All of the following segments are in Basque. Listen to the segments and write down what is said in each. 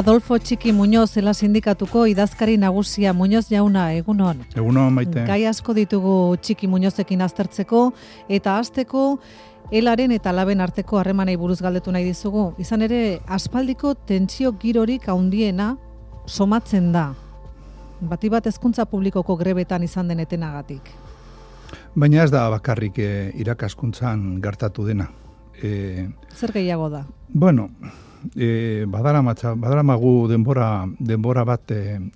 Adolfo Txiki Muñoz, Ela Sindikatuko idazkari nagusia. Muñoz jauna, egunon. Egunon, Maite. Gai asko ditugu Txiki Muñozekin aztertzeko, eta hasteko Elaren eta Laben arteko harremanei buruz galdetu nahi dizugu. Izan ere, aspaldiko tentsio girorik handiena somatzen da. Bati bat hezkuntza publikoko grebetan izan den etenagatik. Baina ez da bakarrik irakaskuntzan gertatu dena. Zer gehiago da? Bueno, badaramagu denbora bat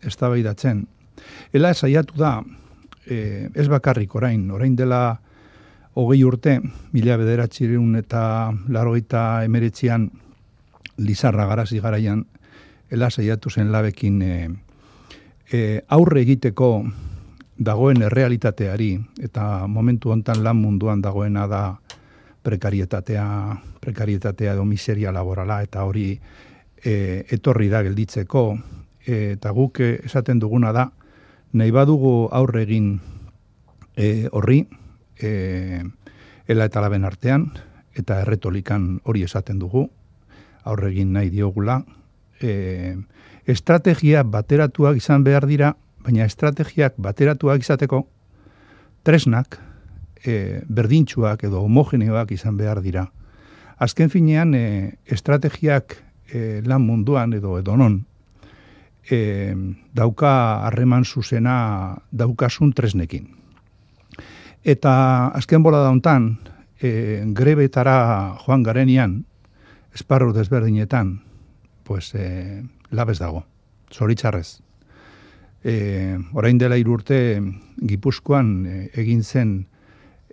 eztabaidatzen. Ela saiatu da, ez bakarrik orain dela 20 urte, 1989an Lizarra Garazi garaian, Ela saiatu zen Labekin aurre egiteko dagoen errealitateari, eta momentu hontan lan munduan dagoena da prekarietatea edo miseria laborala, eta hori etorri da gelditzeko, eta guk esaten duguna da, nahi badugu aurre egin horri, Ela eta Laben artean, eta erretolikan hori esaten dugu, aurre egin nahi diogula. Estrategia bateratuak izan behar dira, baina estrategiak bateratuak izateko tresnak berdintsuak edo homogeneoak izan behar dira. Azken finean, estrategiak lan munduan edo edonon dauka harreman zuzena daukasun tresnekin. Eta azken bolada hontan, grebetara joan garenean, esparru desberdinetan, pues, labez dago, zoritzarrez. Orain dela 3 urte Gipuzkoan egin zen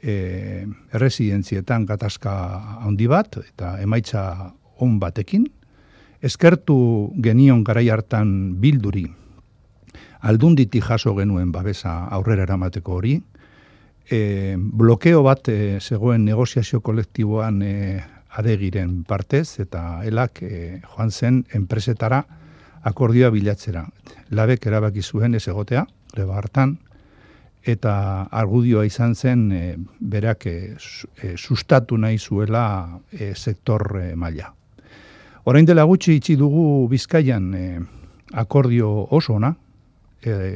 erresidentzietan gatazka handi bat, eta emaitza on batekin. Eskertu genion garai hartan Bilduri, Aldunditik jaso genuen babesa aurrera eramateko hori. Blokeo bat zegoen negoziazio kolektiboan Adegiren partez, eta Elak joan zen enpresetara akordioa bilatzera. Labek erabaki zuen ez egotea, greba hartan, eta argudioa izan zen berak sustatu nahi zuela sektor maila. Orain dela gutxi itxi dugu Bizkaian akordio oso ona,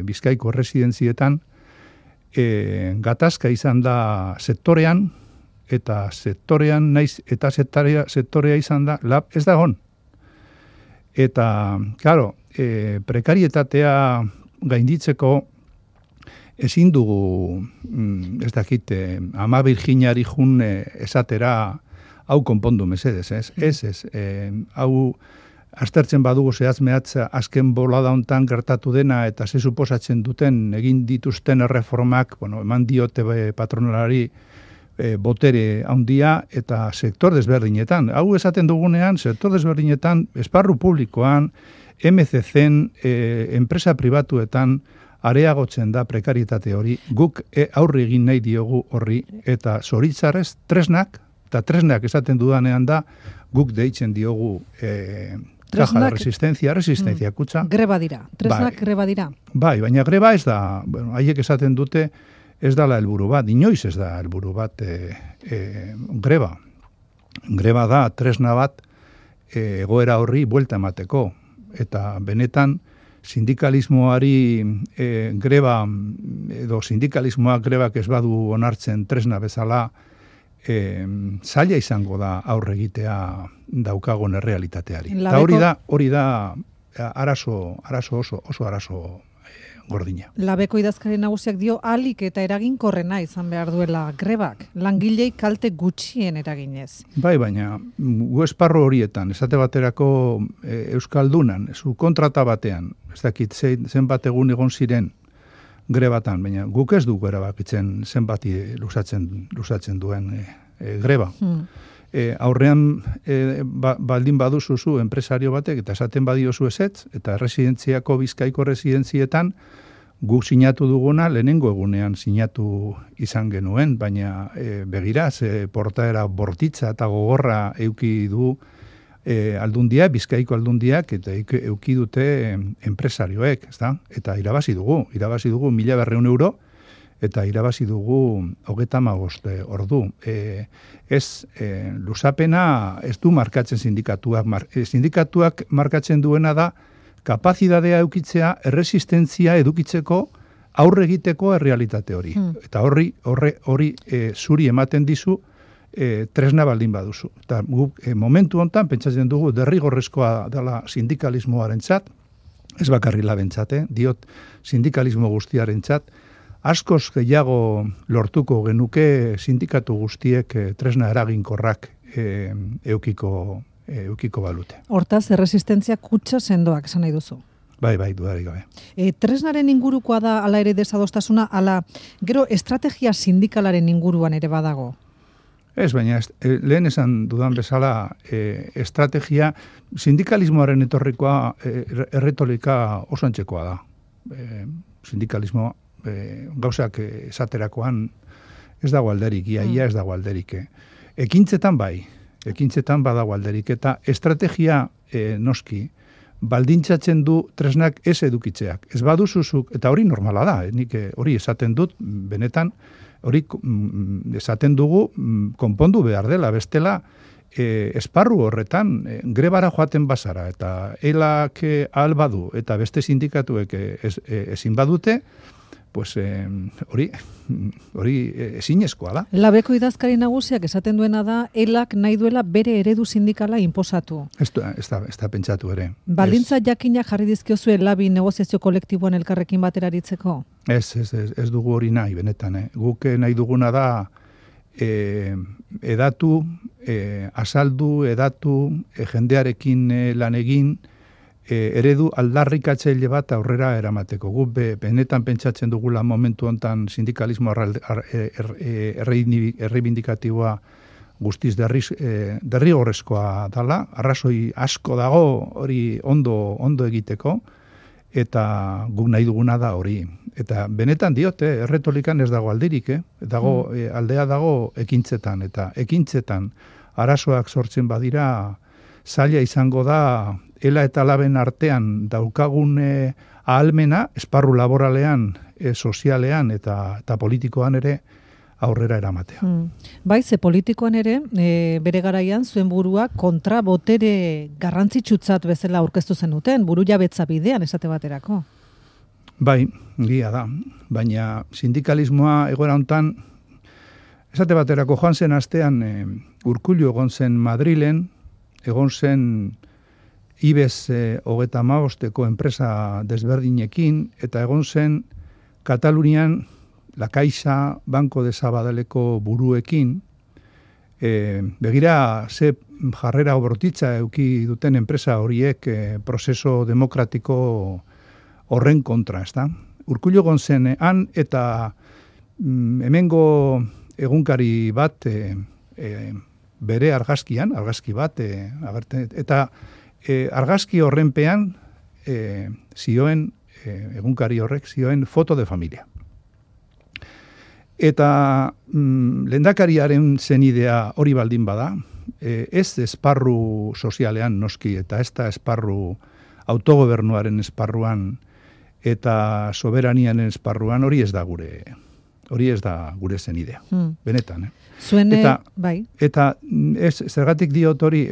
Bizkaiko erresidentzietan, gatazka izan da sektorean, eta sektorean naiz, eta sektorea izan da, Lab ez da egon. Eta, claro, prekarietatea gainditzeko ezin dugu, ez dakit, Ama Virginiari jun esatera hau konpondu mesedez, ez. Hau aztertzen badugu zehazmehatza azken bolada hontan gertatu dena, eta ze suposatzen duten egin dituzten erreformak, eman diote patronalari botere handia, eta sektor desberdinetan. Hau esaten dugunean, sektor desberdinetan, esparru publikoan, MCCen, enpresa pribatuetan, areagotzen da prekarietate hori, guk aurre egin nahi diogu horri, eta zoritzarrez tresnak, eta tresnak esaten dudanean da, guk deitzen diogu caja de resistencia kutsa. Greba dira, tresnak greba dira. Bai, baina greba ez da, haiek esaten dute, ez dala helburu bat, inoiz ez da helburu bat greba. Greba da tresna bat egoera horri buelta emateko, eta benetan sindikalismoari greba, edo sindikalismoak grebak ez badu onartzen tresna bezala, zaila izango da aurre egitea daukagon errealitateari. Eta hori da oso arazo gordina. Labeko idazkari nagusiak dio ahalik eta eraginkorrena izan behar duela grebak, langilei kalte gutxien eraginez. Bai, baina gu esparru horietan, esate baterako Euskaldunan, zu kontrata batean, ez dakit zenbat egun egon ziren grebatan, baina guk ez dugu erabakitzen zenbati luzatzen duen greba. Aurrean baldin baduzuzu enpresario batek, eta esaten badiozu ezetz, eta erresidentziako Bizkaiko residentzietan guk sinatu duguna lehenengo egunean sinatu izan genuen, baina begira, portaera bortitza eta gogorra euki du aldundia, Bizkaiko aldundiak, eta euki dute enpresarioek, ezta? Eta irabazi dugu 1.200 euro, eta irabazi dugu 35 ordu. Luzapena ez du markatzen sindikatuak. Sindikatuak markatzen duena da kapazitatea edukitzea, erresistentzia edukitzeko, aurre egiteko errealitate hori. Eta hori zuri ematen dizu tresna baldin baduzu. Eta momentu hontan pentsatzen dugu derrigorrezkoa dela sindikalismoarentzat, ez bakarri labentzat, diot sindikalismo guztiarentzat, askoz gehiago lortuko genuke sindikatu guztiek tresna eraginkorrak eukiko balute. Hortaz, erresistentzia kutsa sendoak esan nahi duzu. Bai, dudarik gabe. Tresnaren ingurukoa da ala ere desadostasuna, ala gero estrategia sindikalaren inguruan ere badago? Ez, baina lehen esan dudan bezala estrategia sindikalismoaren etorrikoa erretolika oso antzekoa da. Sindikalismo gauzak esaterakoan ez dago alderik, ia ez dago alderik. Ekintzetan badago alderik, eta estrategia noski baldintzatzen du tresnak ez edukitzeak. Ez baduzuzuk, eta hori normala da, nik hori esaten dut, benetan, hori esaten dugu konpondu behar dela, bestela esparru horretan grebara joaten bazara, eta elak ahal badu, eta beste sindikatuek ezin badute, pues hori ezinezkoa da. Labeko idazkari nagusiak esaten duena da, elak nahi duela bere eredu sindikala inposatu. Ez da pentsatu ere. Baldintza jakinak jarri dizkiozue labi negoziazio kolektiboan elkarrekin batera aritzeko? Ez dugu hori nahi, benetan. Guk nahi duguna da edatu, azaldu, jendearekin lan egin, eredu aldarrikatzaile bat aurrera eramateko. Guk benetan pentsatzen dugula momentu hontan sindikalismo erreibindikatiboa guztiz derrigorrezkoa dala, arrazoi asko dago hori ondo egiteko, eta guk nahi duguna da hori. Eta benetan diote, erretolikan ez dago aldirik, aldea dago ekintzetan, eta ekintzetan arazoak sortzen badira, zaila izango da, ela eta laben artean daukagun ahalmena, esparru laboralean, sozialean eta politikoan ere aurrera eramatea. Bai, ze politikoan ere, bere garaian zuen burua kontrabotere garrantzitsutzat bezala aurkeztu zenuten, buru jabetza bidean esate baterako. Bai, gia da, baina sindikalismoa egoera hontan, esate baterako joan zen astean Urkullu egon zen Madrilen, egon zen IBEX 35 enpresa desberdinekin, eta egon zen Katalunian La Caixa, Banco de Sabadelleko buruekin, begira ze jarrera obrotitza euki duten enpresa horiek prozeso demokratiko horren kontra, ezta? Urkullu egon zen han, eta hemengo egunkari bat bere argazki bat, eta argazki horrenpean zioen, egunkari horrek zioen foto de familia. Eta lehendakariaren zenidea hori baldin bada, ez esparru sozialean noski, eta ez da esparru autogobernuaren esparruan, eta soberanianen esparruan hori ez da gure zenidea. Benetan, bai. Eta zergatik diot hori,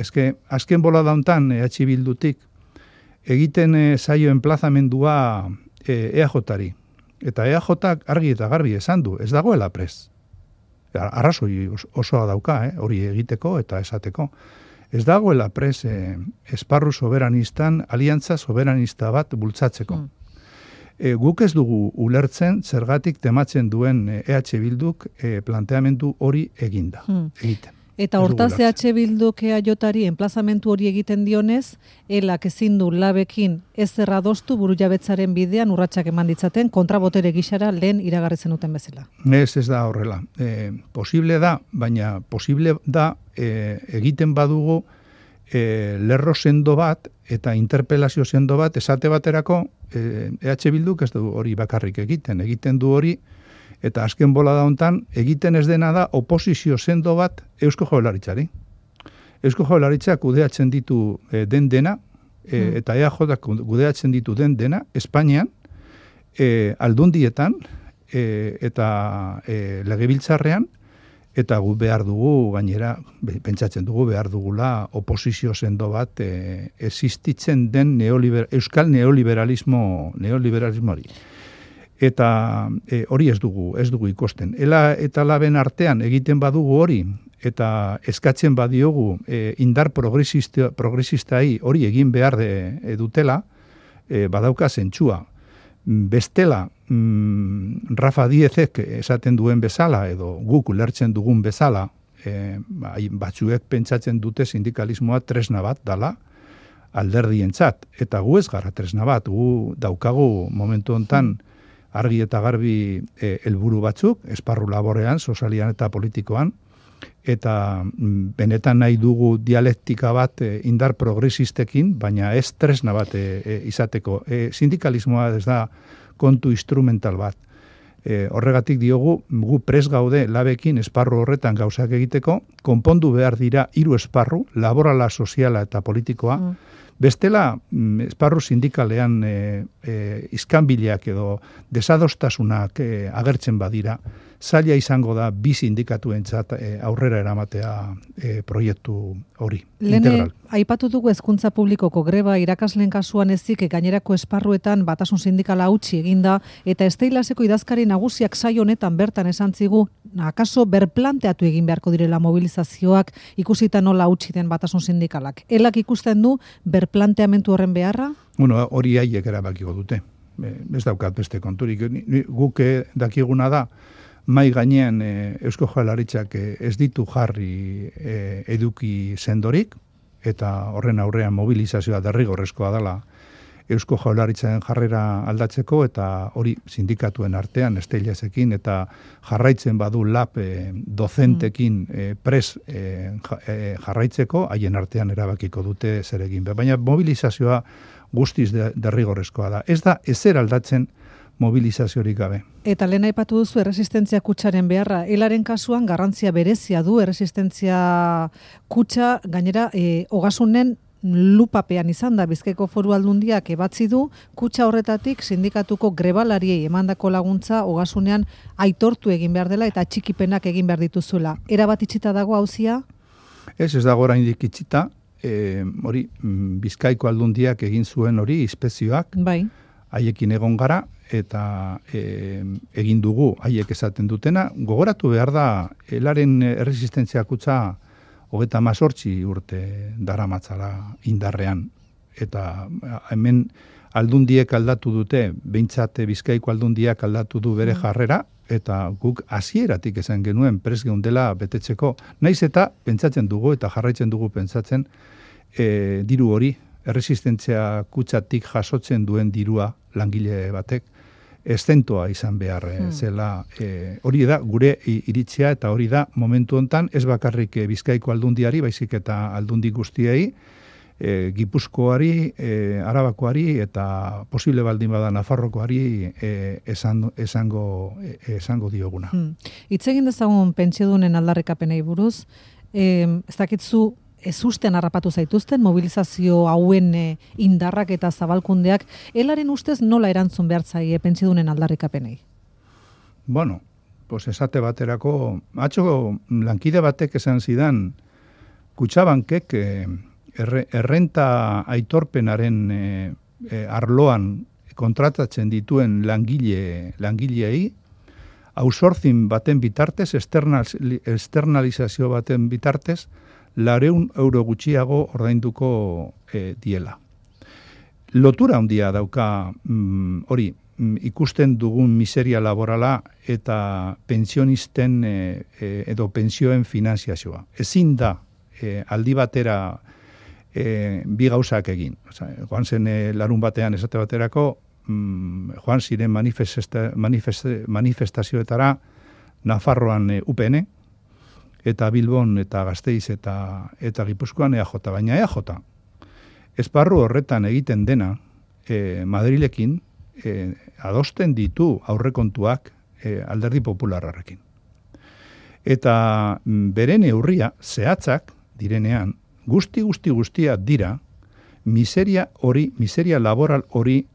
azken bola dauntan EH Bildutik egiten zaio enplazamendua EAJ-ari. Eta EAJ-ak argi eta garbi esan du, ez dagoela prest. Arrazoi osoa dauka, hori egiteko eta esateko. Ez dagoela prest esparru soberanistan, aliantza soberanista bat bultzatzeko. Guk ez dugu ulertzen zergatik tematzen duen EH Bilduk planteamendu hori egiten. Eta hortaz EH Bilduk EAJ-ari enplazamentu hori egiten dionez, elak ezin du labekin ez erradostu burujabetzaren bidean urratsak eman ditzaten kontrabotere gixara lehen iragarri zenuten bezala. Ez da horrela. Posible da, baina posible da egiten badugu lerro sendo bat eta interpelazio sendo bat esate baterako EH Bilduk ez du hori bakarrik egiten du hori, eta azken bola da hontan egiten ez dena da oposizio sendo bat Eusko Jaurlaritzari. Eusko Jaurlaritzak kudeatzen ditu den dena, eta EAJak kudeatzen ditu den dena, Espainian, aldundietan, eta legebiltzarrean, eta gu behar dugu, gainera, pentsatzen dugu behar dugula oposizio sendo bat existitzen den euskal neoliberalismoari. Eta hori ez dugu ikusten. Ela eta laben artean egiten badugu hori, eta eskatzen badiogu indar progresistai hori egin behar dutela, badauka zentsua. Bestela, Rafa Diezek esaten duen bezala, edo guk ulertzen dugun bezala, batzuek pentsatzen dute sindikalismoa tresna bat dala alderdientzat. Eta gu ez gara tresna bat, gu daukagu momentu hontan argi eta garbi helburu batzuk, esparru laborean, sozialean eta politikoan, eta benetan nahi dugu dialektika bat indar progresistekin, baina ez tresna bat izateko. Sindikalismoa ez da kontu instrumental bat. Horregatik diogu, gu pres gaude labekin esparru horretan gauzak egiteko, konpondu behar dira 3 esparru, laborala, soziala eta politikoa, bestela, esparru sindikalean iskanbileak edo desadostasunak agertzen badira, zaila izango da bi sindikatuentzat aurrera eramatea proiektu hori. Lene, aipatu dugu hezkuntza publikoko greba irakasleen kasuan ezik gainerako esparruetan batasun sindikala hautsi eginda, eta Esteilaseko idazkari nagusiak saio honetan bertan esan zigu, akaso berplanteatu egin beharko direla mobilizazioak ikusita nola hautsi den batasun sindikalak. Elak ikusten du berplanteamentu horren beharra? Bueno, hori haiek erabakiko dute. Ez daukat beste konturik. Guk dakiguna da, mai gainean Eusko Jaurlaritzak ez ditu jarri eduki sendorik, eta horren aurrean mobilizazioa derrigorrezkoa dela Eusko Jaurlaritzaren jarrera aldatzeko, eta hori sindikatuen artean Esteilasekin eta jarraitzen badu lab dozentekin pres jarraitzeko, haien artean erabakiko dute zer egin. Baina mobilizazioa guztiz derrigorrezkoa da. Ez da ezer aldatzen mobilizaziorik gabe. Eta lehen aipatu duzu erresistentzia kutsaren beharra. Elaren kasuan garrantzia berezia du erresistentzia kutsa, gainera ogasunen lupapean izan da. Bizkaiko Foru Aldundiak ebatzi du, kutsa horretatik sindikatuko grebalariei emandako laguntza ogasunean aitortu egin behar dela eta txikipenak egin behar dituzuela. Erabat itxita dago auzia? Ez dago oraindik itxita, hori Bizkaiko Aldundiak egin zuen hori inspekzioak, bai. Haiekin egon gara, eta egin dugu haiek esaten dutena. Gogoratu behar da, elaren erresistentzia kutsa 38 urte daramatzala indarrean. Eta hemen aldundiek aldatu dute, behintzat Bizkaiko Aldundiak aldatu du bere jarrera, eta guk hasieratik esan genuen prest geundela betetzeko. Naiz eta pentsatzen dugu eta jarraitzen dugu pentsatzen diru hori, erresistentzia kutsatik jasotzen duen dirua langile batek, estentoa izan behar zela. Hori da gure iritzia, eta hori da momentu hontan ez bakarrik Bizkaiko Aldundiari, baizik eta aldundi guztiei, Gipuzkoari, Arabakoari eta posible baldin bada Nafarrokoari esango dioguna. Hitz egin dezagun pentsiodunen aldarrikapenei buruz, ez dakitzu ezusten harrapatu zaituzten mobilizazio hauen indarrak eta zabalkundeak, elaren ustez nola erantzun behar zaie pentsiodunen aldarrikapenei? Bueno, pues esate baterako, atxo lankide batek esan zidan, Kutxabankek errenta aitorpenaren arloan kontratatzen dituen langileei, outsourcing baten bitartez, externalizazio baten bitartez, 400 euro gutxiago ordainduko diela. Lotura handia dauka hori, ikusten dugun miseria laborala eta pensionisten edo pensioen finanziazioa. Ezin da aldi batera bi gauzak egin. Joan zen larun batean esate baterako, joan ziren manifestazioetara Nafarroan UPN, eta Bilbon eta Gasteiz eta Gipuzkoan EAJ, baina EAJ. Esparru horretan egiten dena, Madrilekin adosten ditu aurrekontuak Alderdi Popularrarekin. Eta bere neurria zehatzak direnean, guztia dira miseria laboral hori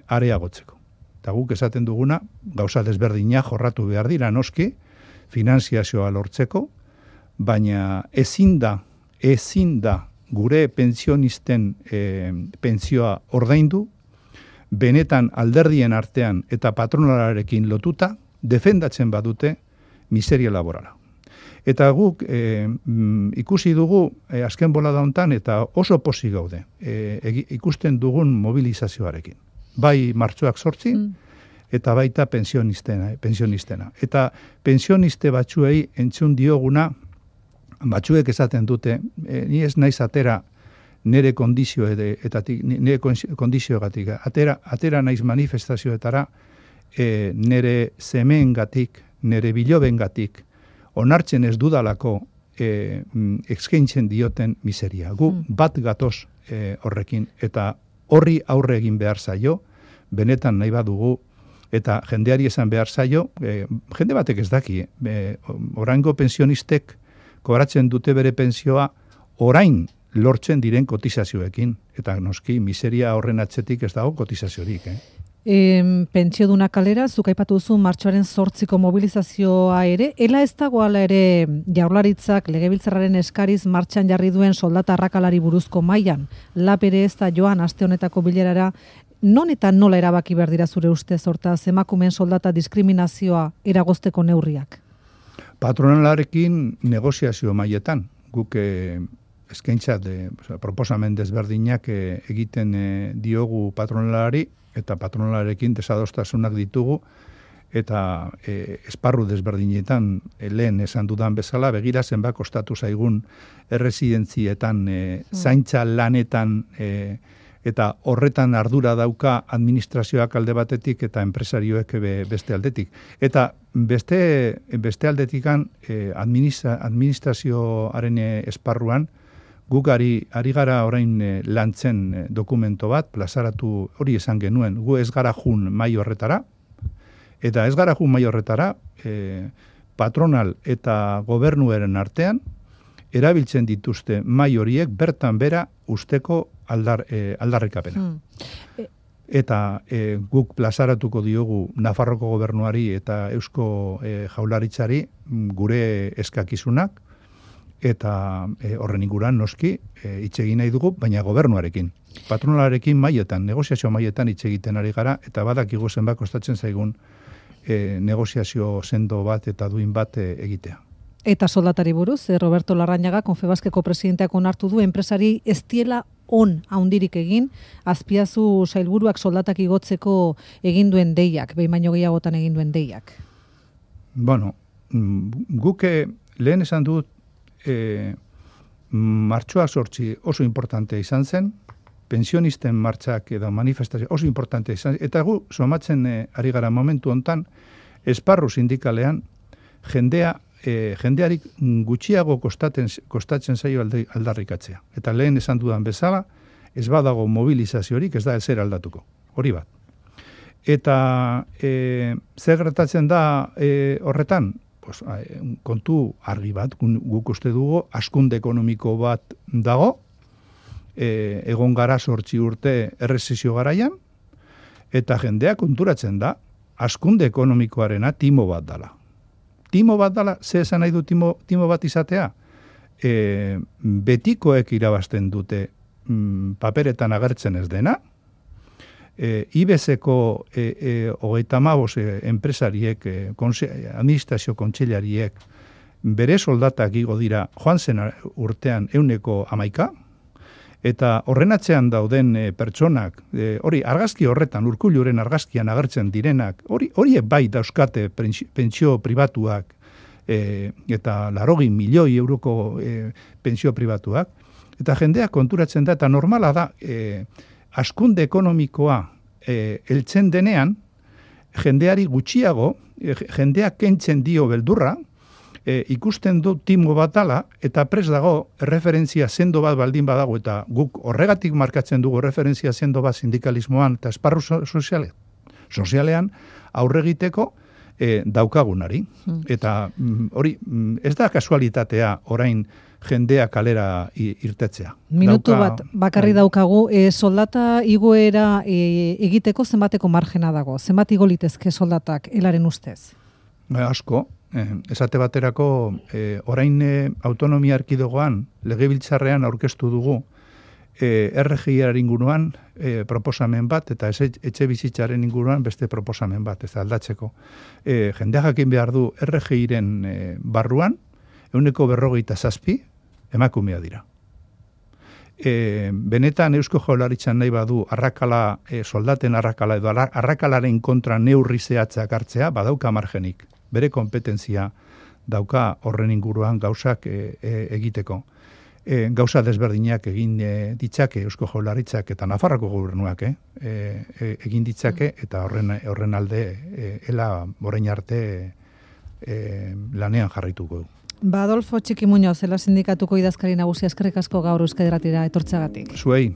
areagotzeko. Eta guk esaten duguna, gauza desberdina jorratu behar dira noski, finanziazioa lortzeko, baina ezin da gure pensionisten pentsioa ordaindu, benetan alderdien artean eta patronalarekin lotuta, defendatzen badute miseria laborala. Eta guk ikusi dugu azken bolada hontan eta oso pozik gaude ikusten dugun mobilizazioarekin. Bai martxoak 8 eta baita pensionistena. Eta pensioniste batzuei entzun dioguna, batzuek esaten dute, ni ez naiz atera nire kondizioegatik, atera naiz manifestazioetara nire semeengatik, nire bilobengatik, onartzen ez dudalako eskaintzen dioten miseria. Gu bat gatoz horrekin, eta horri aurre egin behar zaio, benetan nahi badugu, eta jendeari esan behar zaio, jende batek ez daki, oraingo pensionistek kobratzen dute bere pensioa orain lortzen diren kotizazioekin, eta noski miseria horren atzetik ez dago kotizaziorik. Pentsioduna kalera, zuk aipatu duzu martxoaren 8ko mobilizazioa ere, ela ez dagoala ere Jaurlaritzak legebiltzarraren eskariz martxan jarri duen soldata arrakalari buruzko mailan, LAB ere ez da joan aste honetako bilerara, non eta nola erabaki behar dira zure ustez, hortaz emakumeen soldata diskriminazioa eragozteko neurriak? Patronalarekin negoziazio mailetan, guk eskaintza proposamen desberdinak egiten diogu patronalari, eta patronalarekin desadostasunak ditugu, eta esparru desberdinetan lehen esan dudan bezala, begira zenbat kostatu zaigun erresidentzietan, zaintza lanetan, eta horretan ardura dauka administrazioak alde batetik eta enpresarioek beste aldetik. Eta beste aldetikan administrazioaren esparruan, guk ari gara orain lantzen dokumento bat, plazaratu hori esan genuen, gu ez gara jun mai horretara, eta ez gara jun mai horretara, patronal eta gobernuaren artean, erabiltzen dituzte mai horiek bertan bera usteko aldarrikapena. Eta guk plazaratuko diogu Nafarroko gobernuari eta Eusko Jaurlaritzari gure eskakizunak, eta horren inguruan noski hitz egin nahi dugu, baina gobernuarekin. Patronalarekin maietan, negoziazio maietan hitz egiten ari gara, eta badakigu zenbat kostatzen zaigun negoziazio sendo bat eta duin bat egitea. Eta soldatari buruz, Roberto Larrañaga, Confebaskeko presidenteak onartu du, enpresari ez diela on haundirik egin, Azpiazu sailburuak soldatak igotzeko egin duen deiak, behin baino gehiagotan egin duen deiak. Bueno, guke lehen esan dut, martxoa 8 oso importante izan zen, pensionisten martxak edo manifestazio oso importante izan zen, eta gu somatzen ari gara momentu hontan, esparru sindikalean jendeari gutxiago kostatzen zaio aldarrikatzea. Eta lehen esan dudan bezala, ez badago mobilizaziorik, ez da ezer aldatuko. Hori bat. Eta zer gertatzen da horretan? Pues, kontu argi bat, guk uste dugu, hazkunde ekonomiko bat dago, egon gara 8 urte errezizio garaian, eta jendea konturatzen da, hazkunde ekonomikoarena timo bat dala. Timo bat dala, ze esan nahi du timo bat izatea? Betikoek irabazten dute paperetan agertzen ez dena, IBESeko 35 enpresariek, administrazio kontseilariek, bere soldatak igo dira joan zen urtean 111, eta horren atzean dauden pertsonak, hori argazki horretan, Urkulluren argazkian agertzen direnak, horiek bai dauzkate pentsio pribatuak, eta 80 milioi euroko pentsio pribatuak, eta jendeak konturatzen da, eta normala da, hazkunde ekonomikoa heltzen denean, jendeari gutxiago, jendeak kentzen dio beldurra, ikusten du timo bat dala, eta pres dago referentzia sendo bat baldin badago, eta guk horregatik markatzen dugu referentzia sendo bat sindikalismoan eta esparru sozialean aurregiteko daukagunari. Eta hori, ez da kasualitatea orain jendea kalera irtetzea. Minutu bat bakarri daukagu, soldata igoera egiteko zenbateko margena dago? Zenbat igo litezke soldatak elaren ustez? Asko, esate baterako orain autonomia erkidegoan legebiltzarrean aurkeztu dugu RGIaren inguruan proposamen bat, eta etxe bizitzaren inguruan beste proposamen bat, ez aldatzeko. Jendea jakin behar du RGIren barruan, 47% emakumea dira. Benetan Eusko Jaurlaritzan nahi badu arrakala, soldaten arrakala edo arrakalaren kontra neurri zehatzak hartzea, badauka margenik. Bere kompetentzia dauka horren inguruan gauzak egiteko. Gauza desberdinak egin ditzake Eusko Jaurlaritzak eta Nafarroko gobernuak egin ditzake, eta horren alde ela orain arte lanean jarraituko du. Adolfo Txiki Muñoz, Ela Sindikatuko idazkari nagusia, eskerrik asko gaur Euskadi Irratira etortzeagatik. Zuei.